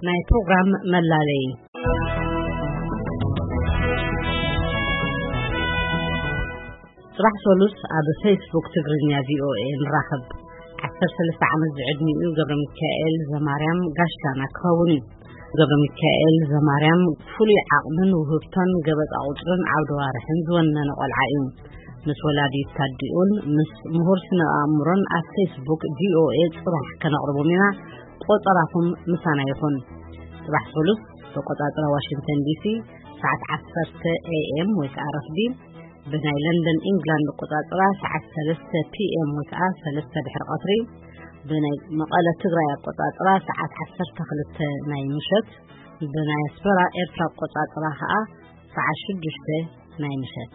ናይ ፕሮግራም መላለይ። ጽባሕ ሰሉስ ኣብ ፌስቡክ ትግርኛ ቪኦኤ ንራኸብ። ዓሰርተ ሰለስተ ዓመት ዝዕድሚኡ ገብረ ሚካኤል ዘማርያም ጋሻና ክኸውን እዩ። ገብረ ሚካኤል ዘማርያም ፍሉይ ዓቕምን ውህብቶን ገበጣ ቁጽርን ዓውደ ዋርሕን ዝወነነ ቆልዓ እዩ። ምስ ወላዲት ታዲኡን ምስ ምሁር ስነ ኣእምሮን ኣብ ፌስቡክ ቪኦኤ ጽባሕ ከነቕርቦም ኢና። ቆጸራኹም ምሳና ይኹን። ጽባሕ ሰሉስ ብቆጻጽራ ዋሽንግተን ዲሲ ሰዓት ዓሰርተ ኤ ኤም ወይ ከዓ ረፍዲ፣ ብናይ ለንደን ኢንግላንድ ቆጻጽራ ሰዓት ሰለስተ ፒ ኤም ወይ ከዓ ሰለስተ ድሕሪ ቀትሪ፣ ብናይ መቐለ ትግራይ ኣቆጻጽራ ሰዓት ዓሰርተ ክልተ ናይ ምሸት፣ ብናይ ኣስመራ ኤርትራ ኣቆጻጽራ ከዓ ሰዓት ሽዱሽተ ናይ ምሸት።